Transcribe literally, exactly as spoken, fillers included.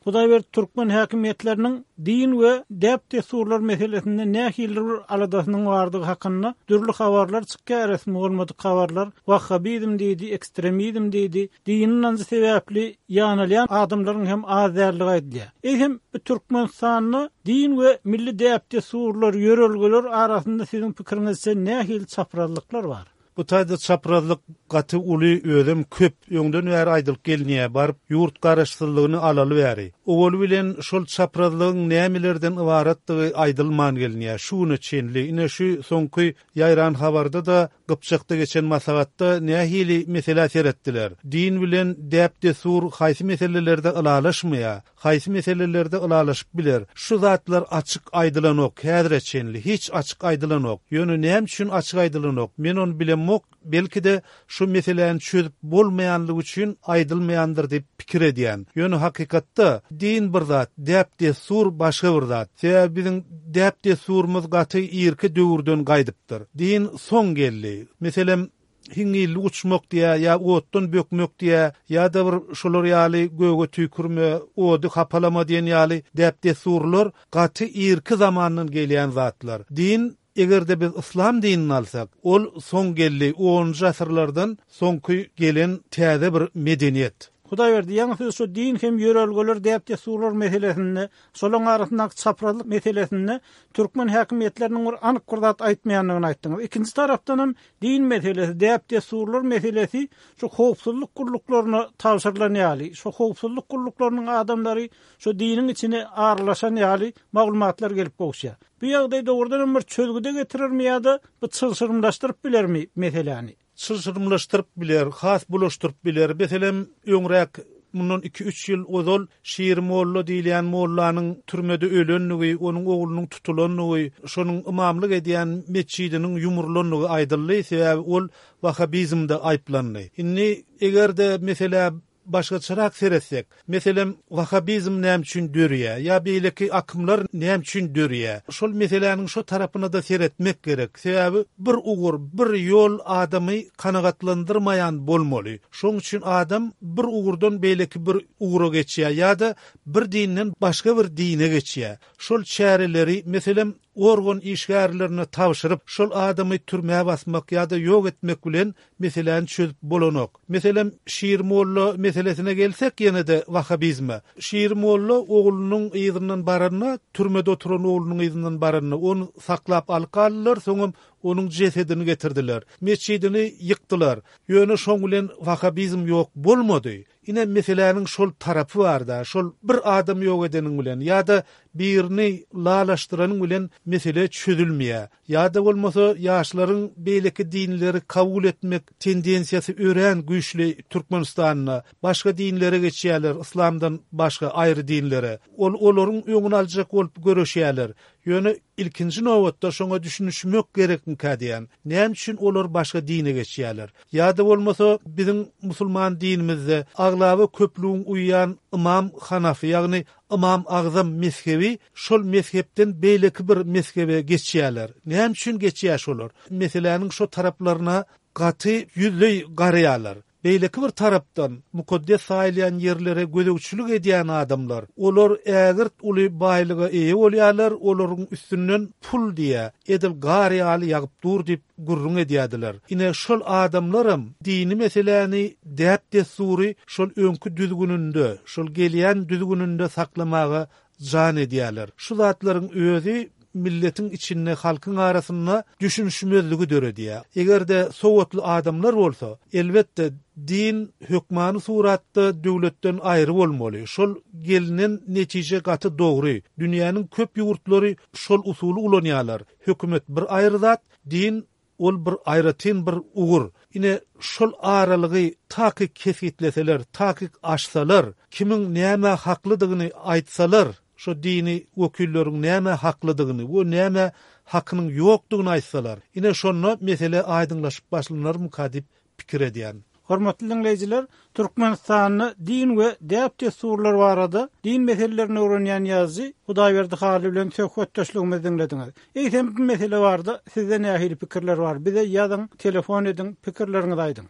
Hudaýberdi türkmen häkimiýetleriniň din we däp-dessurlar meselesinde nähili bir aladasynyň bardygy hakynda dürli habarlar çykýar, resmi bolmadyk habarlar. Wahhabizm diýdi, ekstremizm diýdi, dini ynanjy sebäpli ýanalýan adamlaryň hem az däldigi aýdylýar. Eýsem, bu Türkmenistanda din we milli däp-dessurlar, ýörelgeler arasynda siziň pikiriňizçe nähili çaprazlyklar bar? Bu taýda çaprazlyk gaty uly, özem köp, öňden bäri aýdylyp gelinýär, baryp ýurt garaşsyzlygyny alaly bäri. Owaly bilen şol çaprazlygyň nämelerden ybaratdygy aýdylman gelinýär şu güne çenli. Ine şu soňky ýaýran habarda-da Gypjakda geçen maslahatda nähili meselä seretdiler? Din bilen däp-dessur haýsy meselelerde ylalaşmaýar? Haýsy meselelerde ylalaşyp biler? Şu zatlar açyk aýdylanok häzire çenli, hiç açyk aýdylanok. Ýöne näme üçin açyk aýdylanok? Men ony bilemok, belki-de şu meseläni çözüp bolmaýanlygy üçin aýdylmaýandyr diýip pikir edýän. Ýöne hakykatda din bir zat, däp-dessur başga bir zat. Sebäbi biziň däp-dessurymyz gaty irki döwürden gaýdypdyr. Din soň geldi. Meselem, hiňňillik uçmak diýä, ýa otdan bökmek diýä, ýa-da bir şolar ýaly göge tüýkürme, ody hapalama diýen ýaly däp-dessurlar gaty irki zamandan gelýän zatlar. Din, eger-de biz yslam dinini alsak, ol soň geldi, onunjy asyrlardan soňky gelen täze bir medeniýet. Hudaýberdi, ýaňy siz şu din hem ýörelgeler, däp-dessurlar meselesinde, şolaryň arasyndaky çaprazlyk meselesinde türkmen häkimiýetleriniň bir anyk bir zat aýtmaýandygyny aýtdyňyz. Ikinji tarapdan hem din meselesi, däp-dessurlar meselesi şu howpsuzlyk gulluklaryna tabşyrylan ýaly, şu howpsuzlyk gulluklarynyň adamlary şu diniň içine aralaşan ýaly maglumatlar gelip gowuşýar. Bu ýagdaý dogrudan hem bir çözgüde getirermi ýa-da bu çylşyrymlaşdyryp bilermi meseläni? Çylşyrymlaşdyryp biler, has bulaşdyryp biler. Meselem, öňräk mundan iki-üç ýyl ozal Şiri molla diýilýän mollanyň türmede ölendigi, onuň oglunyň tutulandygy, şonuň ymamlyk edýän metjidiniň ýumrulandygy aýdyldy, sebäbi ol wahabizmde aýyplandy. Indi eger-de meselä başgaçarak seretsek, meselem, wahabizm näme üçin dörýär ýa beýleki akymlar näme üçin dörýär? Şol meseläniň şo tarapyna-da seretmek gerek. Sebäbi bir ugur, bir ýol adamy kanagatlandyrmaýan bolmaly. Şoň üçin adam bir ugurdan beýleki bir ugra geçýär ýa-da bir dinden başga bir dine geçýär. Şol çäreleri, meselem, organ işgärlerine tabşyryp, şol adamy türmä basmak ýa-da ýok etmek bilen meseläni çözüp bolanok. Meselem, Şir molla meselesine gelsek ýene-de wahabizme. Şir molla oglunyň yzyndan baranda, türmede oturan oglunyň yzyndan baranda, ony saklap alyp galdylar, soňam onuň jesedini getirdiler. Metjidini ýykdylar. Ýöne şoň bilen wahabizm ýok bolmady. Ine meseläniň şol tarapy bar-da, şol bir adam ýok edeniň bilen ýa-da birini lalaşdyranyň bilen mesele çözülmeýär. Ýa-da bolmasa ýaşlaryň beýleki dinleri kabul etmek tendensiýasy örän güýçli Türkmenistanda. Başga dinlere geçýärler, yslamdan başga aýry dinlere. Ol olaryň öňüni aljak bolup göreşýärler. Ýöne ilkinji nobatda şoňa düşünişmek gerekmikä diýýän. Näme üçin olar başga dine geçýärler? Ýa-da bolmasa biziň musulman dinimizde aglaba köplügiň uýýan Ymam Hanafy, ýagny Ymam Agzam mezhebi şol mezhepden beýleki bir mezhebe geçýärler. Näme üçin geçýär şolar? Meseläniň şo taraplaryna gaty ýüzleý garaýarlar. Beýleki bir tarapdan, mukaddes saýylýan ýerlere gözegçilik edýän adamlar, olar ägirt uly baýlyga eýe bolýarlar, olaryň üstünden pul diýä, edil gar ýaly ýagyp dur diýip gürrüň edýärdiler. Ine, şol adamlaram dini meseläni, däp-dessury şol öňki düzgüninde, şol gelýän düzgüninde saklamaga jan edýärler. Şu zatlaryň özi milletiň içinde, halkyň arasynda düşünişmezligi döredýär. Eger-de sowatly adamlar bolsa, elbetde, din hökmany suratda döwletden aýry bolmaly. Şol gelnen netije gaty dogry. Dünýäniň köp ýurtlary şol usuly ulanýarlar. Hökümet bir aýry zat, din ol bir aýratyn bir ugur. Ine, şol aralygy takyk kesgitleseler, takyk açsalar, kimiň nämä haklydygyny aýtsalar, şo dini wekilleriň nämä haklydygyny we nämä hakynyň ýokdugyny aýtsalar, ine şonda mesele aýdyňlaşyp başlanarmyka diýip pikir edýän. Hormatly diňleýjiler, Türkmenistanda din we däp-dessurlar barada din meselelerini öwrenýän ýazyjy Hudaýberdi Hally bilen söhbetdeşligimizi diňlediňiz. Eýsem bu mesele barada sizde nähili pikirler bar? Bize ýazyň, telefon ediň, pikirleriňizi aýdyň.